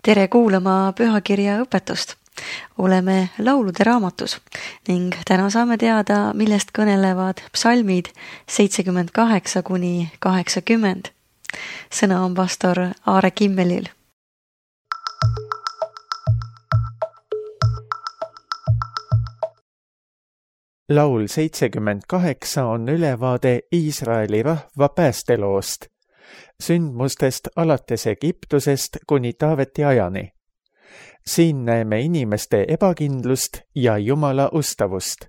Tere kuulama pühakirja õpetust. Oleme laulude raamatus ning täna saame teada, millest kõnelevad psalmid 78–80. Sõna on pastor Aare Kimmelil. Laul 78 on ülevaade Iisraeli rahva päästeloost, sündmustest alates Egiptusest kuni Taaveti ajani. Siin näeme inimeste ebakindlust ja Jumala ustavust.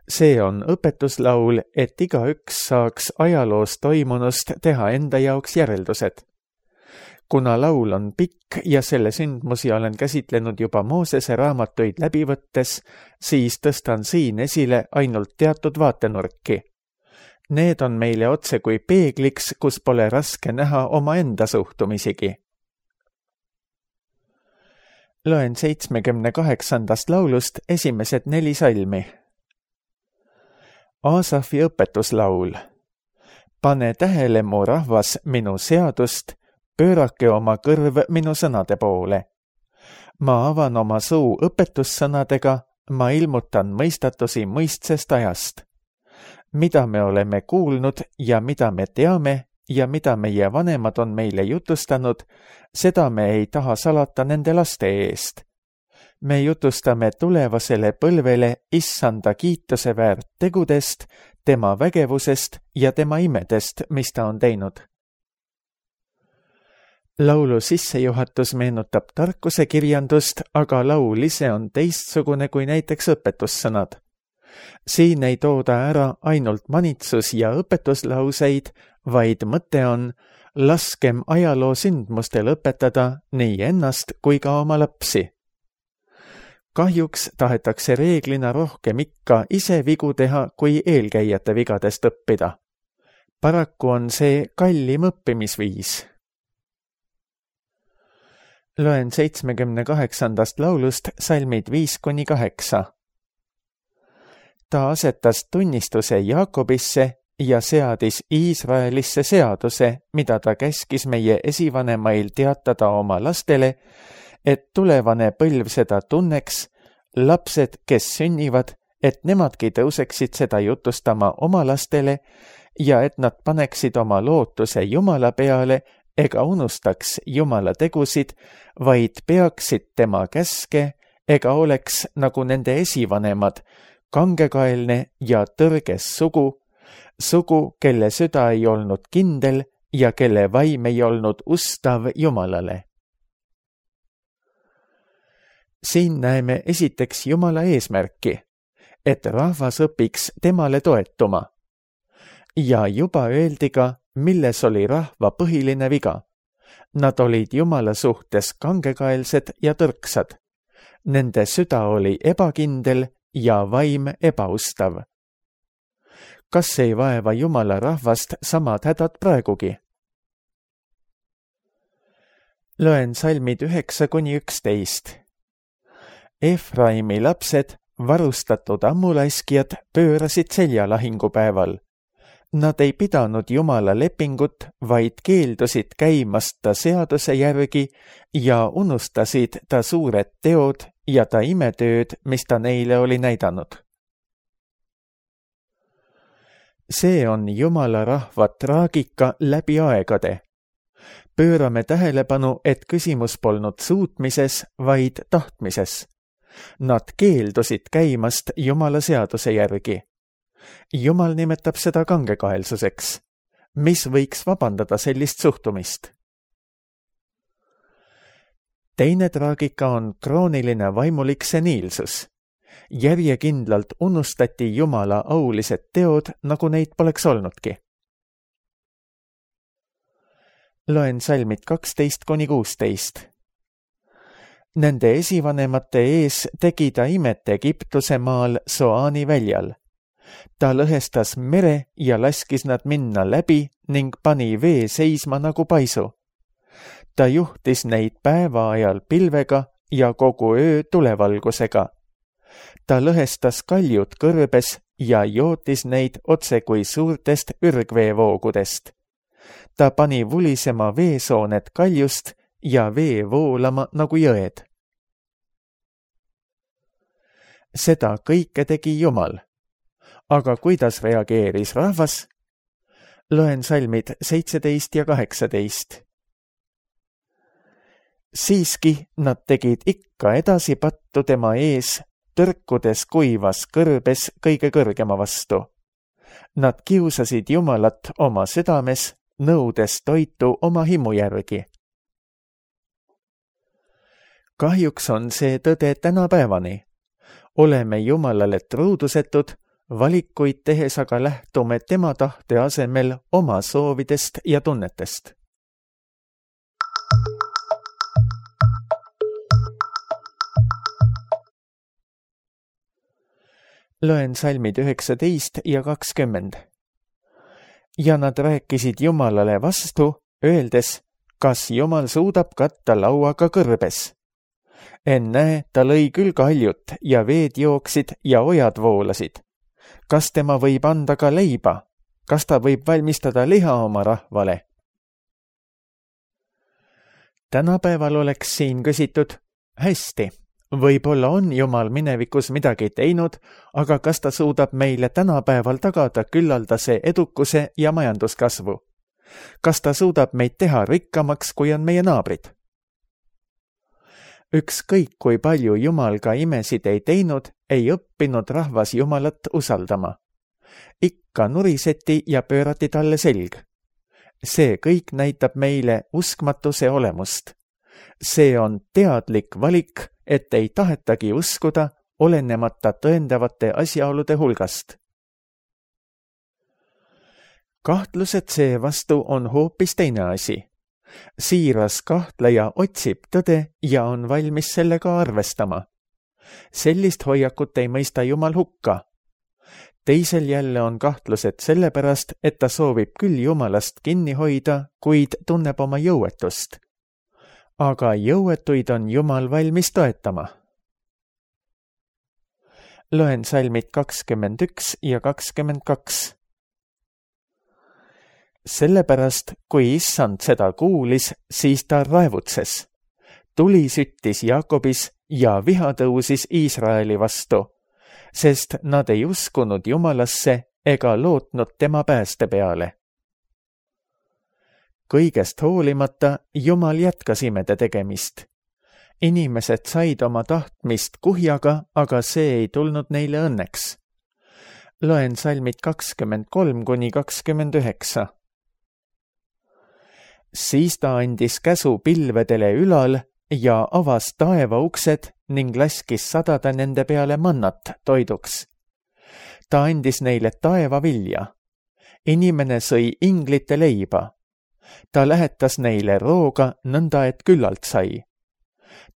See on õpetuslaul, et igaüks saaks ajaloos toimunust teha enda jaoks järeldused. Kuna laul on pikk ja selle sündmusi olen käsitlenud juba Moosese raamatuid läbi võttes, siis tõstan siin esile ainult teatud vaatenurki. Need on meile otse kui peegliks, kus pole raske näha omaenda suhtumisigi. Loen 78. laulust esimesed 4 salmi. Aasafi õpetuslaul. Pane tähele, mu rahvas, minu seadust, pöörake oma kõrv minu sõnade poole. Ma avan oma suu õpetussõnadega, ma ilmutan mõistatusi mõistsest ajast. Mida me oleme kuulnud ja mida me teame ja mida meie vanemad on meile jutustanud, seda me ei taha salata nende laste eest. Me jutustame tulevasele põlvele Issanda kiituse väärt tegudest, tema vägevusest ja tema imedest, mis ta on teinud. Laulu sissejuhatus meenutab tarkuse kirjandust, aga laul ise on teistsugune kui näiteks õpetussõnad. Siin ei tooda ära ainult manitsus ja õpetuslauseid, vaid mõte on, laskem ajaloo sündmustel õpetada nii ennast kui ka oma lapsi. Kahjuks tahetakse reeglina rohkem ikka ise vigu teha, kui eelkäijate vigadest õppida. Paraku on see kallim õppimisviis. Loen 78. laulust salmid 5–8. Ta asetas tunnistuse Jaakobisse ja seadis Iisraelisse seaduse, mida ta käskis meie esivanemail teatada oma lastele, et tulevane põlv seda tunneks, lapsed, kes sünnivad, et nemadki tõuseksid seda jutustama oma lastele ja et nad paneksid oma lootuse Jumala peale ega unustaks Jumala tegusid, vaid peaksid tema käske ega oleks nagu nende esivanemad, kangekaelne ja tõrges sugu, kelle süda ei olnud kindel ja kelle vaim ei olnud ustav Jumalale. Siin näeme esiteks Jumala eesmärki, et rahvas õpiks temale toetuma. Ja juba öeldi ka, milles oli rahva põhiline viga. Nad olid Jumala suhtes kangekaelsed ja tõrksad. Nende süda oli ebakindel ja vaim ebaustav. Kas ei vaeva Jumala rahvast samad hädad praegugi? Loen salmid 9–11. Efraimi lapsed, varustatud ammulaiskijad, pöörasid selja lahingupäeval. Nad ei pidanud Jumala lepingut, vaid keeldusid käimast ta seaduse järgi ja unustasid ta suured teod ja ta imetööd, mis ta neile oli näidanud. See on Jumala rahva traagika läbi aegade. Pöörame tähelepanu, et küsimus polnud suutmises, vaid tahtmises. Nad keeldusid käimast Jumala seaduse järgi. Jumal nimetab seda kangekaelsuseks. Mis võiks vabandada sellist suhtumist? Teine traagika on krooniline vaimulik seniilsus. Järjekindlalt unustati Jumala aulised teod, nagu neid poleks olnudki. Loen salmid 12–16. Nende esivanemate ees tegi ta imet Egiptuse maal Soani väljal. Ta lõhestas mere ja laskis nad minna läbi ning pani vee seisma nagu paisu. Ta juhtis neid päeva ajal pilvega ja kogu öö tulevalgusega. Ta lõhestas kaljud kõrbes ja jootis neid otse kui suurtest ürgveevoogudest. Ta pani vulisema veesooned kaljust ja vee voolama nagu jõed. Seda kõike tegi Jumal. Aga kuidas reageeris rahvas? Loen salmid 17 ja 18. Siiski nad tegid ikka edasi pattu tema ees, tõrkudes kuivas kõrbes kõige kõrgema vastu. Nad kiusasid Jumalat oma südames, nõudes toitu oma himu järgi. Kahjuks on see tõde tänapäevani. Oleme Jumalale truudusetud, valikuid tehes aga lähtume tema tahte asemel oma soovidest ja tunnetest. Loen salmid 19 ja 20. Ja nad rääkisid Jumalale vastu, öeldes, kas Jumal suudab katta lauaga kõrbes. Ennäe, ta lõi küll kaljut ja veed jooksid ja ojad voolasid. Kas tema võib anda ka leiba? Kas ta võib valmistada liha oma rahvale? Tänapäeval oleks siin küsitud, hästi, võib-olla on Jumal minevikus midagi teinud, aga kas ta suudab meile tänapäeval tagada küllaldase edukuse ja majanduskasvu? Kas ta suudab meid teha rikkamaks, kui on meie naabrid? Ükskõik kui palju Jumal ka imesid ei teinud, ei õppinud rahvas Jumalat usaldama. Ikka nuriseti ja pöörati talle selg. See kõik näitab meile uskmatuse olemust. See on teadlik valik, et ei tahetagi uskuda, olenemata tõendavate asjaolude hulgast. Kahtlused seevastu on hoopis teine asi. Siiras kahtleja otsib tõde ja on valmis sellega arvestama. Sellist hoiakut ei mõista Jumal hukka. Teisel jälle on kahtlused sellepärast, et ta soovib küll Jumalast kinni hoida, kuid tunneb oma jõuetust. Aga jõuetuid on Jumal valmis toetama. Loen salmid 21 ja 22. Sellepärast, kui issand seda kuulis, siis ta raevutses. Tuli süttis Jaakobis ja viha tõusis Iisraeli vastu, sest nad ei uskunud Jumalasse ega lootnud tema pääste peale. Kõigest hoolimata Jumal jätkas imede tegemist. Inimesed said oma tahtmist kuhjaga, aga see ei tulnud neile õnneks. Loen salmid 23 kuni 29. Siis ta andis käsu pilvedele ülal ja avas taeva uksed ning laskis sadada nende peale mannat toiduks. Ta andis neile taeva vilja. Inimene sõi inglite leiba. Ta lähetas neile rooga nõnda, et küllalt sai.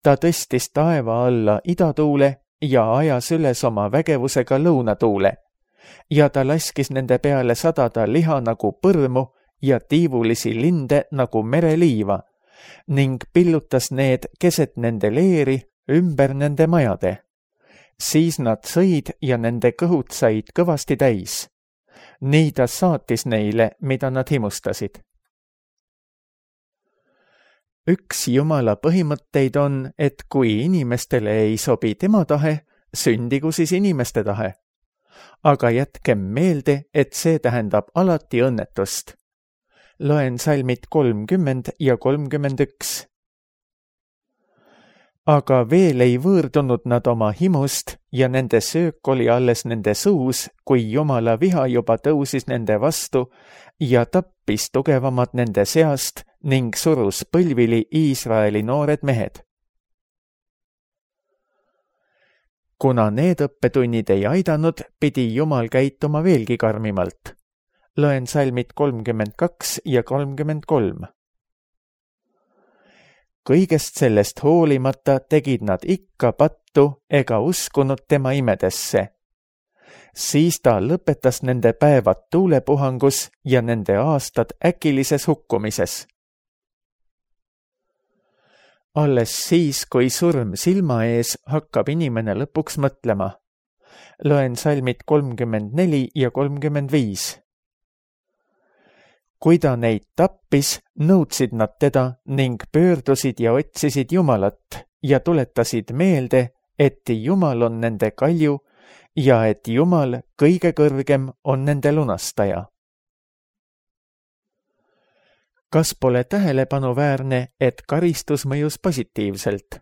Ta tõstis taeva alla idatuule ja ajas üles oma vägevusega lõunatuule ja ta laskis nende peale sadada liha nagu põrmu ja tiivulisi linde nagu mereliiva ning pillutas need keset nende leeri ümber nende majade. Siis nad sõid ja nende kõhud said kõvasti täis. Nii ta saatis neile, mida nad himustasid. Üks Jumala põhimõtteid on, et kui inimestele ei sobi tema tahe, sündigu siis inimeste tahe. Aga jätkem meelde, et see tähendab alati õnnetust. Loen salmid 30 ja 31. Aga veel ei võõrdunud nad oma himust ja nende söök oli alles nende suus, kui Jumala viha juba tõusis nende vastu ja tappis tugevamad nende seast ning surus põlvili Iisraeli noored mehed. Kuna need õppetunnid ei aidanud, pidi Jumal käituma veelgi karmimalt. Loen salmid 32 ja 33. Kõigest sellest hoolimata tegid nad ikka pattu ega uskunud tema imedesse. Siis ta lõpetas nende päevad tuulepuhangus ja nende aastad äkilises hukkumises. Alles siis, kui surm silma ees, hakkab inimene lõpuks mõtlema. Loen salmid 34 ja 35. kui ta neid tappis, nõudsid nad teda ning pöördusid ja otsisid Jumalat ja tuletasid meelde, et Jumal on nende kalju ja et Jumal kõige kõrgem on nende lunastaja. Kas pole tähelepanuväärne, et karistus mõjus positiivselt?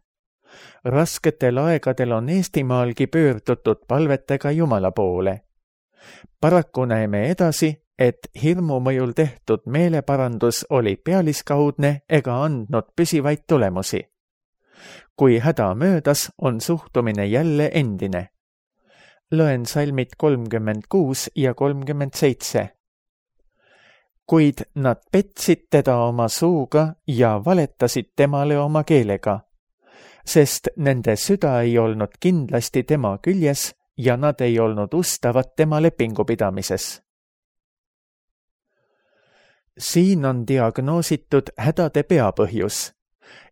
Rasketel aegadel on Eestimaalgi pöördutud palvetega Jumala poole. Paraku näeme edasi, et hirmu mõjul tehtud meeleparandus oli pealiskaudne ega andnud püsivaid tulemusi. Kui häda möödas, on suhtumine jälle endine. Loen salmid 36 ja 37. Kuid nad petsid teda oma suuga ja valetasid temale oma keelega, sest nende süda ei olnud kindlasti tema küljes ja nad ei olnud ustavad tema lepingupidamises. Siin on diagnoositud hädade peapõhjus.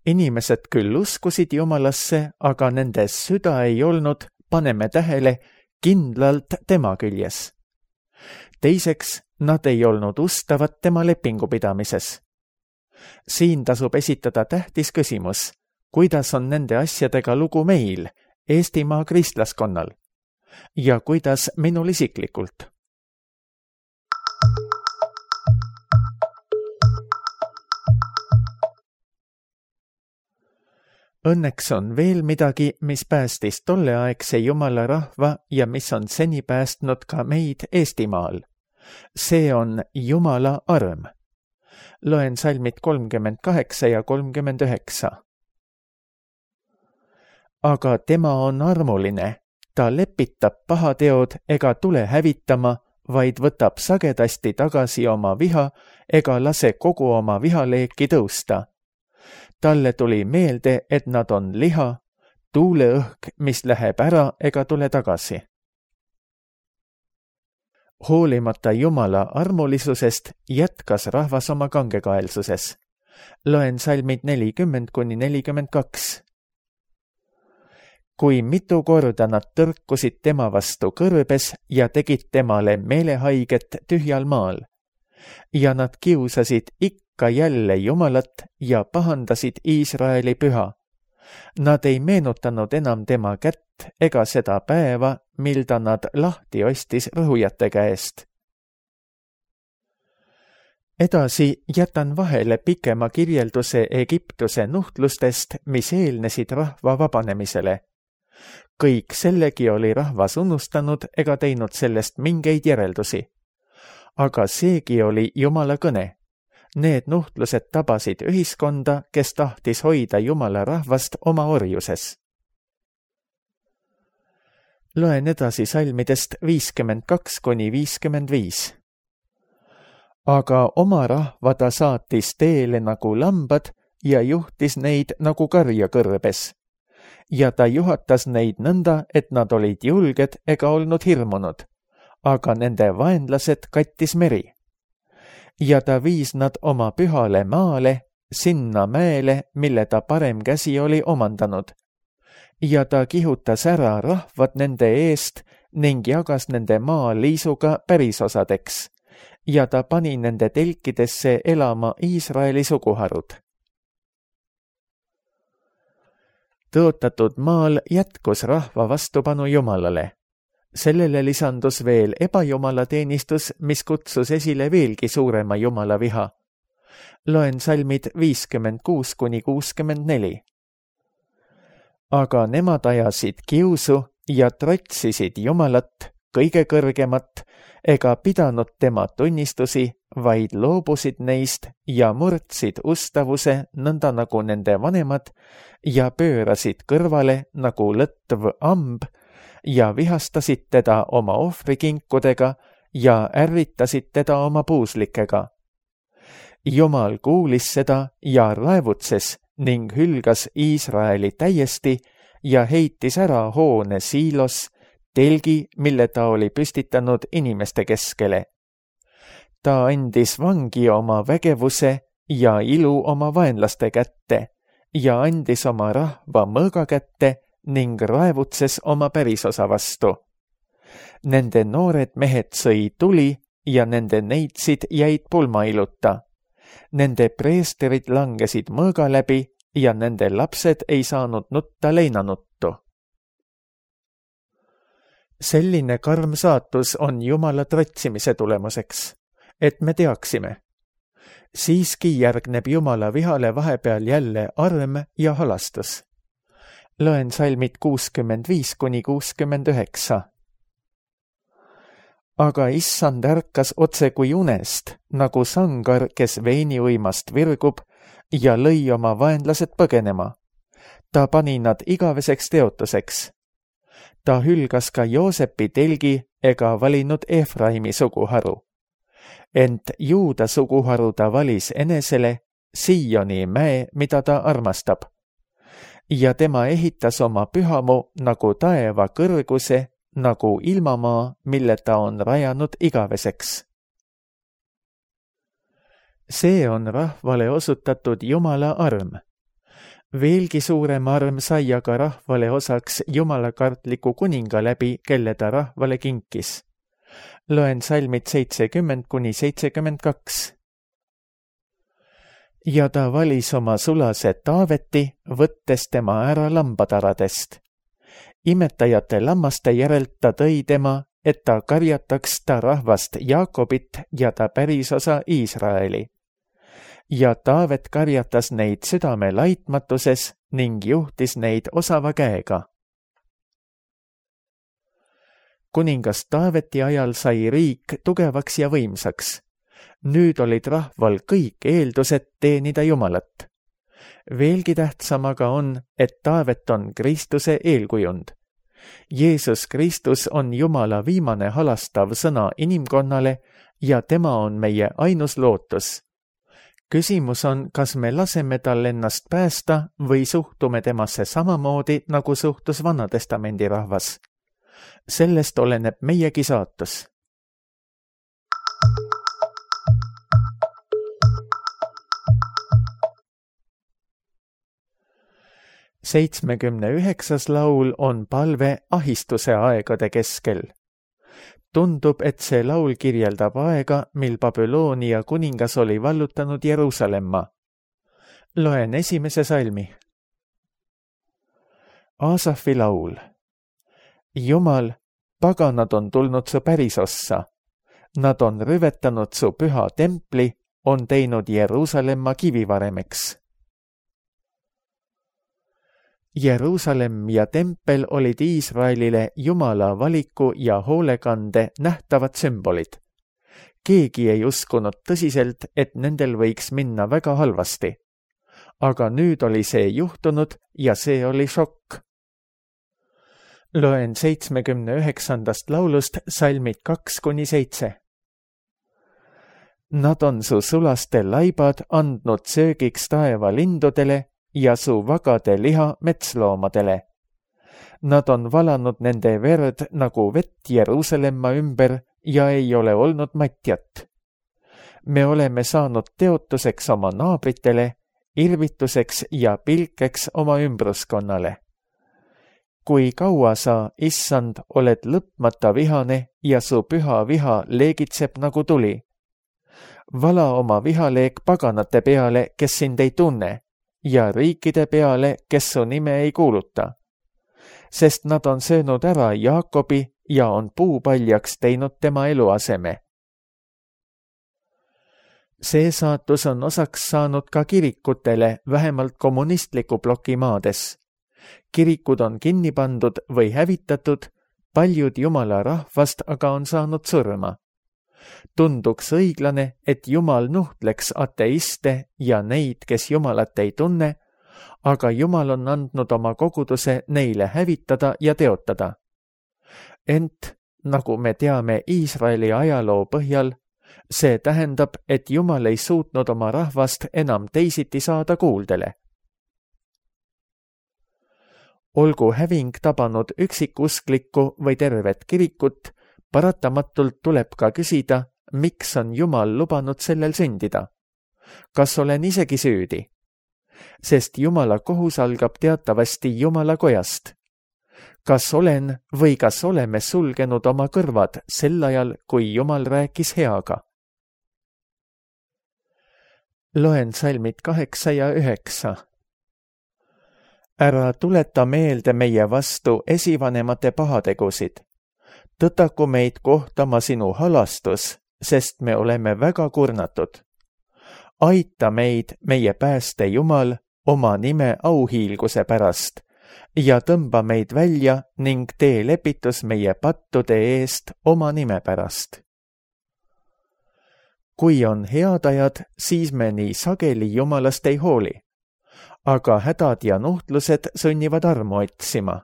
Inimesed küll uskusid Jumalasse, aga nende süda ei olnud, paneme tähele, kindlalt tema küljes. Teiseks, nad ei olnud ustavad tema lepingupidamises. Siin tasub esitada tähtis küsimus, kuidas on nende asjadega lugu meil, Eestimaa kristlaskonnal, ja kuidas minul isiklikult. Õnneks on veel midagi, mis päästis tolleaegse Jumala rahva ja mis on seni päästnud ka meid Eestimaal. See on Jumala arm. Loen salmid 38 ja 39. Aga tema on armuline, ta lepitab pahateod ega tule hävitama, vaid võtab sagedasti tagasi oma viha ega lase kogu oma vihaleeki tõusta. Talle tuli meelde, et nad on liha, tuuleõhk, mis läheb ära ega tule tagasi. Hoolimata Jumala armulisusest jätkas rahvas oma kangekaelsuses. Loen salmid 40-42. Kui mitu korda nad tõrkusid tema vastu kõrbes ja tegid temale meelehaiget tühjal maal. Ja nad kiusasid ikka jälle Jumalat ja pahandasid Iisraeli püha. Nad ei meenutanud enam tema kätt ega seda päeva, mil ta nad lahti ostis rõhujate käest. Edasi jätan vahele pikema kirjelduse Egiptuse nuhtlustest, mis eelnesid rahva vabanemisele. Kõik sellegi oli rahvas unustanud ega teinud sellest mingeid järeldusi. Aga seegi oli Jumala kõne. Need nuhtlused tabasid ühiskonda, kes tahtis hoida Jumala rahvast oma orjuses. Loen edasi salmidest 52-55. Aga oma rahva ta saatis teele nagu lambad ja juhtis neid nagu karja kõrbes. Ja ta juhatas neid nõnda, et nad olid julged ega olnud hirmunud, aga nende vaenlased kattis meri. Ja ta viis nad oma pühale maale, sinna mäele, mille ta parem käsi oli omandanud. Ja ta kihutas ära rahvad nende eest ning jagas nende maa liisuga pärisosadeks. Ja ta pani nende telkidesse elama Iisraeli suguharud. Tõotatud maal jätkus rahva vastupanu Jumalale. Sellele lisandus veel ebajumalateenistus, mis kutsus esile veelgi suurema Jumala viha. Loen salmid 56-64. Aga nemad ajasid kiusu ja trotsisid Jumalat, kõige kõrgemat, ega pidanud tema tunnistusi, vaid loobusid neist ja murdsid ustavuse nõnda nagu nende vanemad ja pöörasid kõrvale nagu lõtv amb ja vihastasid teda oma ohvrikinkudega ja ärritasid teda oma puuslikega. Jumal kuulis seda ja raevutses ning hülgas Iisraeli täiesti ja heitis ära hoone Siilos, telgi, mille ta oli püstitanud inimeste keskele. Ta andis vangi oma vägevuse ja ilu oma vaenlaste kätte ja andis oma rahva mõõga kätte ning raevutses oma pärisosa vastu. Nende noored mehed sõi tuli ja nende neitsid jäid pulmailuta. Nende preesterid langesid mõõga läbi ja nende lapsed ei saanud nutta leinanuttu. Selline karm saatus on Jumala trotsimise tulemuseks, et me teaksime. Siiski järgneb Jumala vihale vahepeal jälle arm ja halastus. Loen salmid 65–69. Aga issand ärkas otse kui unest, nagu sangar, kes veiniuimast virgub ja lõi oma vaenlased põgenema. Ta pani nad igaveseks teotuseks. Ta hülgas ka Joosepi telgi ega valinud Efraimi suguharu. Ent Juuda suguharu ta valis enesele, Sioni mäe, mida ta armastab. Ja tema ehitas oma pühamu nagu taeva kõrguse, nagu ilmamaa, mille ta on rajanud igaveseks. See on rahvale osutatud Jumala arm. Veelgi suurem arm sai aga rahvale osaks jumalakartliku kuninga läbi, kelle ta rahvale kinkis. Loen salmid 70–72. Ja ta valis oma sulase Taaveti, võttes tema ära lambataradest. Imetajate lammaste järelt ta tõi tema, et ta karjataks ta rahvast Jaakobit ja ta pärisosa Iisraeli. Ja Taavet karjatas neid südame laitmatuses ning juhtis neid osava käega. Kuningas Taaveti ajal sai riik tugevaks ja võimsaks. Nüüd olid rahval kõik eeldused teenida Jumalat. Veelgi tähtsam aga on, et Taavet on Kristuse eelkujund. Jeesus Kristus on Jumala viimane halastav sõna inimkonnale ja tema on meie ainus lootus. Küsimus on, kas me laseme tal ennast päästa või suhtume temasse samamoodi, nagu suhtus Vanatestamendi rahvas. Sellest oleneb meiegi saatus. Seitsmekümne 9. laul on palve ahistuse aegade keskel. Tundub, et see laul kirjeldab aega, mil Babyloonia kuningas oli vallutanud Jeruusalemma. Loen esimese salmi. Aasafi laul. Jumal, paganad on tulnud su pärisossa. Nad on rüvetanud su püha templi, on teinud Jeruusalemma kivivaremeks. Jeruusalemm ja tempel olid Iisraelile Jumala valiku ja hoolekande nähtavad sümbolid. Keegi ei uskunud tõsiselt, et nendel võiks minna väga halvasti. Aga nüüd oli see juhtunud ja see oli šokk. Loen 79. laulust salmid 2–7. Nad on su sulaste laibad andnud söögiks taeva lindudele ja su vagade liha metsloomadele. Nad on valanud nende verd nagu vett Jeruusalemma ümber ja ei ole olnud matjat. Me oleme saanud teotuseks oma naabritele, irvituseks ja pilkeks oma ümbruskonnale. Kui kaua sa, issand, oled lõpmata vihane ja su püha viha leegitseb nagu tuli. Vala oma vihaleek paganate peale, kes sind ei tunne, ja riikide peale, kes su nime ei kuuluta. Sest nad on söönud ära Jaakobi ja on puupaljaks teinud tema eluaseme. See saatus on osaks saanud ka kirikutele, vähemalt kommunistliku ploki maades. Kirikud on kinni pandud või hävitatud, paljud Jumala rahvast aga on saanud surma. Tunduks õiglane, et Jumal nuhtleks ateiste ja neid, kes Jumalat ei tunne, aga Jumal on andnud oma koguduse neile hävitada ja teotada. Ent, nagu me teame Iisraeli ajaloo põhjal, see tähendab, et Jumal ei suutnud oma rahvast enam teisiti saada kuuldele. Olgu häving tabanud üksikusklikku või tervet kirikut, paratamatult tuleb ka küsida, miks on Jumal lubanud sellel sündida. Kas olen isegi süüdi? Sest Jumala kohus algab teatavasti Jumala kojast. kas olen või kas oleme sulgenud oma kõrvad sel ajal, kui Jumal rääkis heaga? Loen salmid 8 ja 9. Ära tuleta meelde meie vastu esivanemate pahategusid. Tõtaku meid kohtama sinu halastus, sest me oleme väga kurnatud. Aita meid, meie pääste Jumal, oma nime auhiilguse pärast ja tõmba meid välja ning tee lepitus meie pattude eest oma nime pärast. Kui on head ajad, siis me nii sageli Jumalast ei hooli, aga hädad ja nuhtlused sunnivad armu otsima.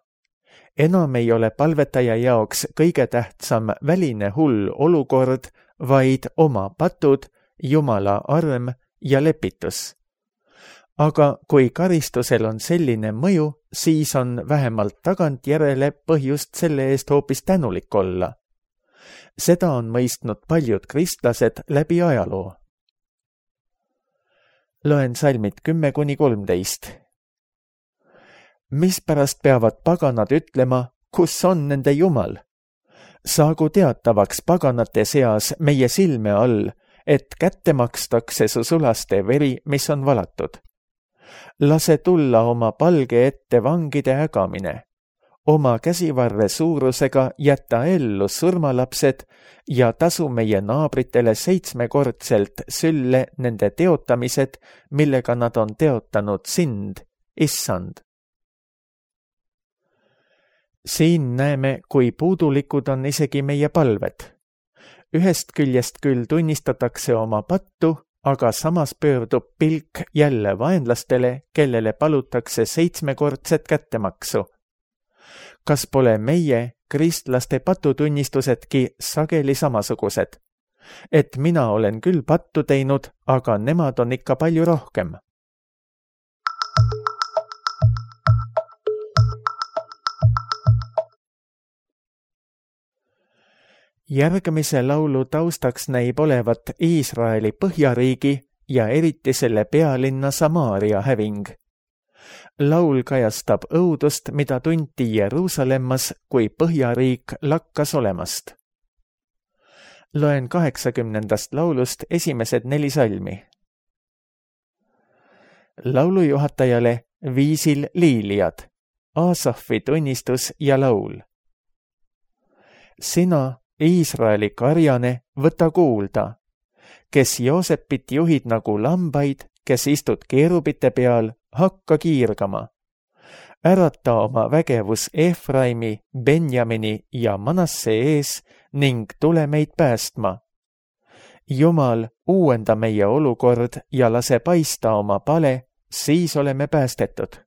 Enam ei ole palvetaja jaoks kõige tähtsam väline hull olukord, vaid oma patud, Jumala arm ja lepitus. Aga kui karistusel on selline mõju, siis on vähemalt tagantjärele põhjust selle eest hoopis tänulik olla. Seda on mõistnud paljud kristlased läbi ajaloo. Loen salmid 10-13. Mispärast peavad paganad ütlema, kus on nende Jumal? Saagu teatavaks paganate seas meie silme all, et kätte makstakse su sulaste veri, mis on valatud. Lase tulla oma palge ette vangide ägamine. Oma käsivarre suurusega jäta ellu surmalapsed ja tasu meie naabritele 7-kordselt sülle nende teotamised, millega nad on teotanud sind, Issand. Siin näeme, kui puudulikud on isegi meie palved. Ühest küljest küll tunnistatakse oma pattu, aga samas pöördub pilk jälle vaenlastele, kellele palutakse 7-kordset kättemaksu. Kas pole meie, kristlaste patutunnistusedki sageli samasugused? Et mina olen küll pattu teinud, aga nemad on ikka palju rohkem. Järgmise laulu taustaks näib olevat Iisraeli põhjariigi ja eriti selle pealinna Samaaria häving. Laul kajastab õudust, mida tunti Jeruusalemmas, kui põhjariik lakkas olemast. Loen 80. laulust esimesed 4 salmi. Laulujuhatajale viisil liiliad, Aasafi tunnistus ja laul. Sina, Iisraeli karjane, võta kuulda, kes Joosepit juhid nagu lambaid, kes istud keerubite peal, hakka kiirgama. Ärata oma vägevus Efraimi, Benjamini ja Manasse ees ning tule meid päästma. Jumal, uuenda meie olukord ja lase paista oma pale, siis oleme päästetud.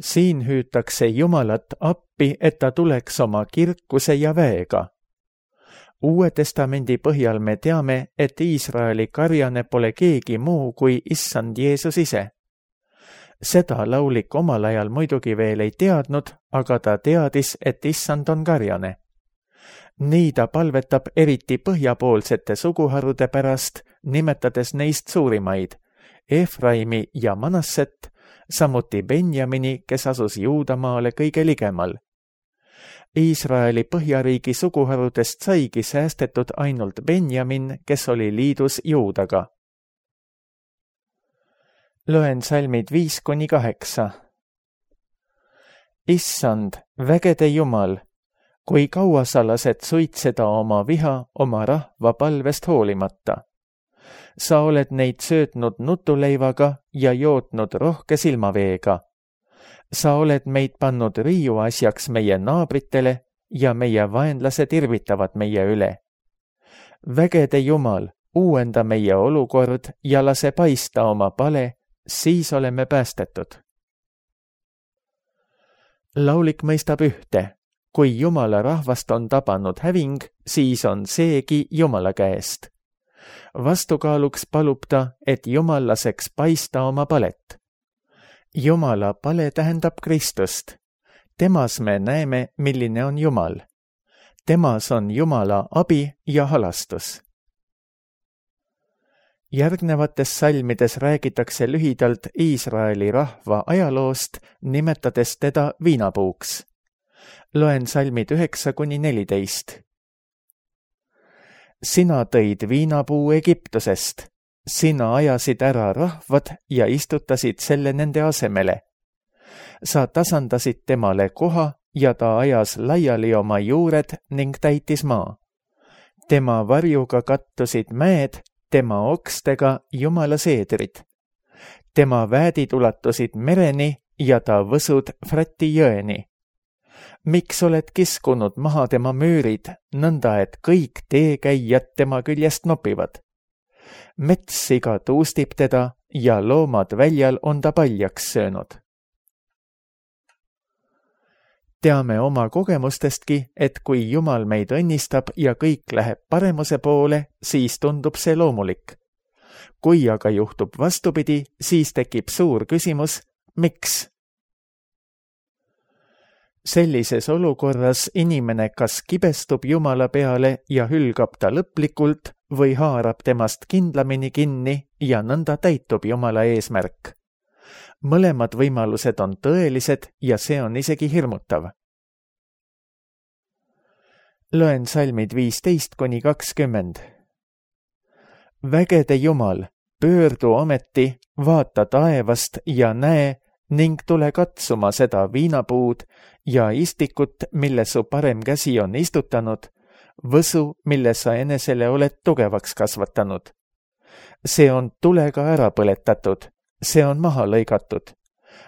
Siin hüütakse Jumalat appi, et ta tuleks oma kirkuse ja väega. Uue testamendi põhjal me teame, et Iisraeli karjane pole keegi muu kui Issand Jeesus ise. Seda laulik omal ajal muidugi veel ei teadnud, aga ta teadis, et Issand on karjane. Nii ta palvetab eriti põhjapoolsete suguharude pärast, nimetades neist suurimaid, Efraimi ja Manasset, samuti Benjamini, kes asus Juudamaale kõige ligemal. Iisraeli põhjariigi suguharudest saigi säästetud ainult Benjamin, kes oli liidus Juudaga. Loen salmid 5-8. Issand, vägede Jumal, kui kaua sa lased suitseda oma viha oma rahva palvest hoolimata? Sa oled neid söötnud nutuleivaga ja jootnud rohke silmaveega. Sa oled meid pannud riiuasjaks meie naabritele ja meie vaenlased irvitavad meie üle. Vägede Jumal, uuenda meie olukord ja lase paista oma pale, siis oleme päästetud. Laulik mõistab ühte, kui Jumala rahvast on tabanud häving, siis on seegi Jumala käest. Vastukaaluks palub ta, et Jumal laseks paista oma palet. Jumala pale tähendab Kristust. Temas me näeme, milline on Jumal. Temas on Jumala abi ja halastus. Järgnevates salmides räägitakse lühidalt Iisraeli rahva ajaloost, nimetades teda viinapuuks. Loen salmid 9-14. Sina tõid viinapuu Egiptusest, sina ajasid ära rahvad ja istutasid selle nende asemele. Sa tasandasid temale koha ja ta ajas laiali oma juured ning täitis maa. Tema varjuga kattusid mäed, tema okstega Jumala seedrid. Tema väädid ulatusid mereni ja ta võsud Frati jõeni. Miks oled kiskunud maha tema müürid, nõnda et kõik teekäijad tema küljest nopivad? Metssiga tuustib teda ja loomad väljal on ta paljaks söönud. Teame oma kogemustestki, et kui Jumal meid õnnistab ja kõik läheb paremuse poole, siis tundub see loomulik. Kui aga juhtub vastupidi, siis tekib suur küsimus, miks? Sellises olukorras inimene kas kibestub Jumala peale ja hülgab ta lõplikult või haarab temast kindlamini kinni ja nõnda täitub Jumala eesmärk. Mõlemad võimalused on tõelised ja see on isegi hirmutav. Loen salmid 15-20. Vägede Jumal, pöördu ometi, vaata taevast ja näe ning tule katsuma seda viinapuud ja istikut, mille su parem käsi on istutanud, võsu, mille sa enesele oled tugevaks kasvatanud. See on tulega ära põletatud. See on maha lõigatud.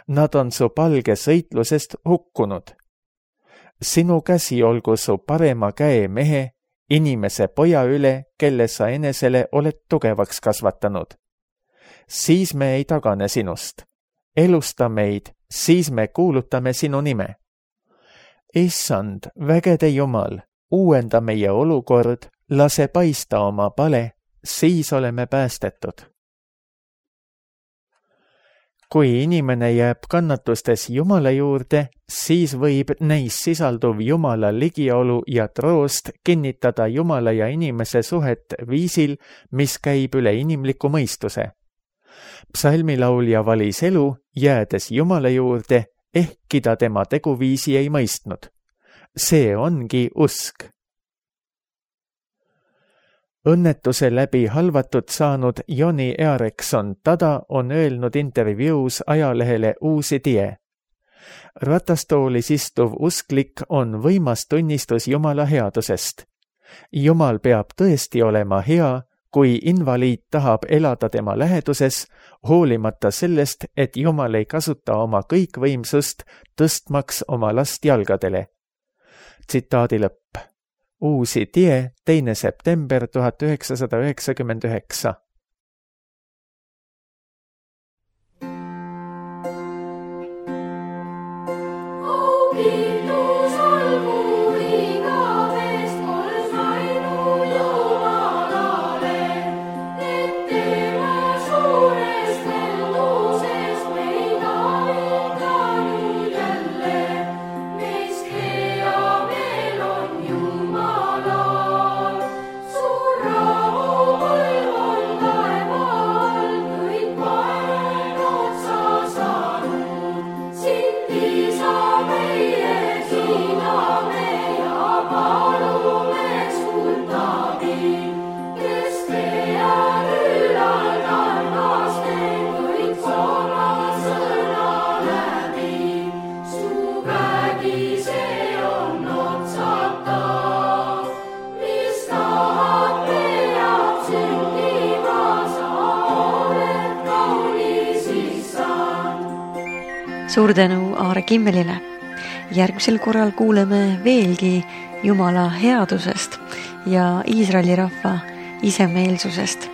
Nad on su palge sõitlusest hukkunud. Sinu käsi olgu su parema käe mehe, inimese poja üle, kelle sa enesele oled tugevaks kasvatanud. Siis me ei tagane sinust. Elusta meid, siis me kuulutame sinu nime. Issand, vägede Jumal, uuenda meie olukord, lase paista oma pale, siis oleme päästetud. Kui inimene jääb kannatustes Jumala juurde, siis võib neis sisalduv Jumala ligiolu ja troost kinnitada Jumala ja inimese suhet viisil, mis käib üle inimliku mõistuse. Psalmilaulja valis elu, jäädes Jumala juurde, ehkki ta tema teguviisi ei mõistnud. See ongi usk. Õnnetuse läbi halvatud saanud Joni Earekson Tada on öelnud intervjuus ajalehele Uusi Tie. Ratastoolis istuv usklik on võimas tunnistus Jumala headusest. Jumal peab tõesti olema hea, kui invaliid tahab elada tema läheduses, hoolimata sellest, et Jumal ei kasuta oma kõikvõimsust tõstmaks oma last jalgadele. Tsitaadi lõpp. Uusi Tie, 2. september 1999. Suur tänu Aare Kimmelile. Järgmisel korral kuuleme veelgi Jumala headusest ja Iisraeli rahva isemeelsusest.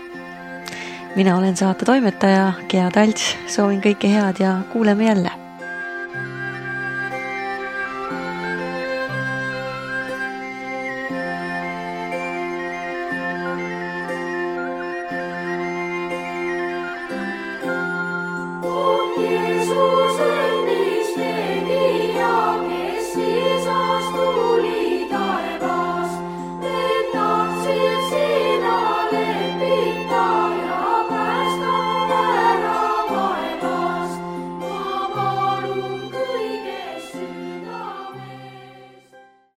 Mina olen saate toimetaja Gea Talts, soovin kõike head ja kuuleme jälle.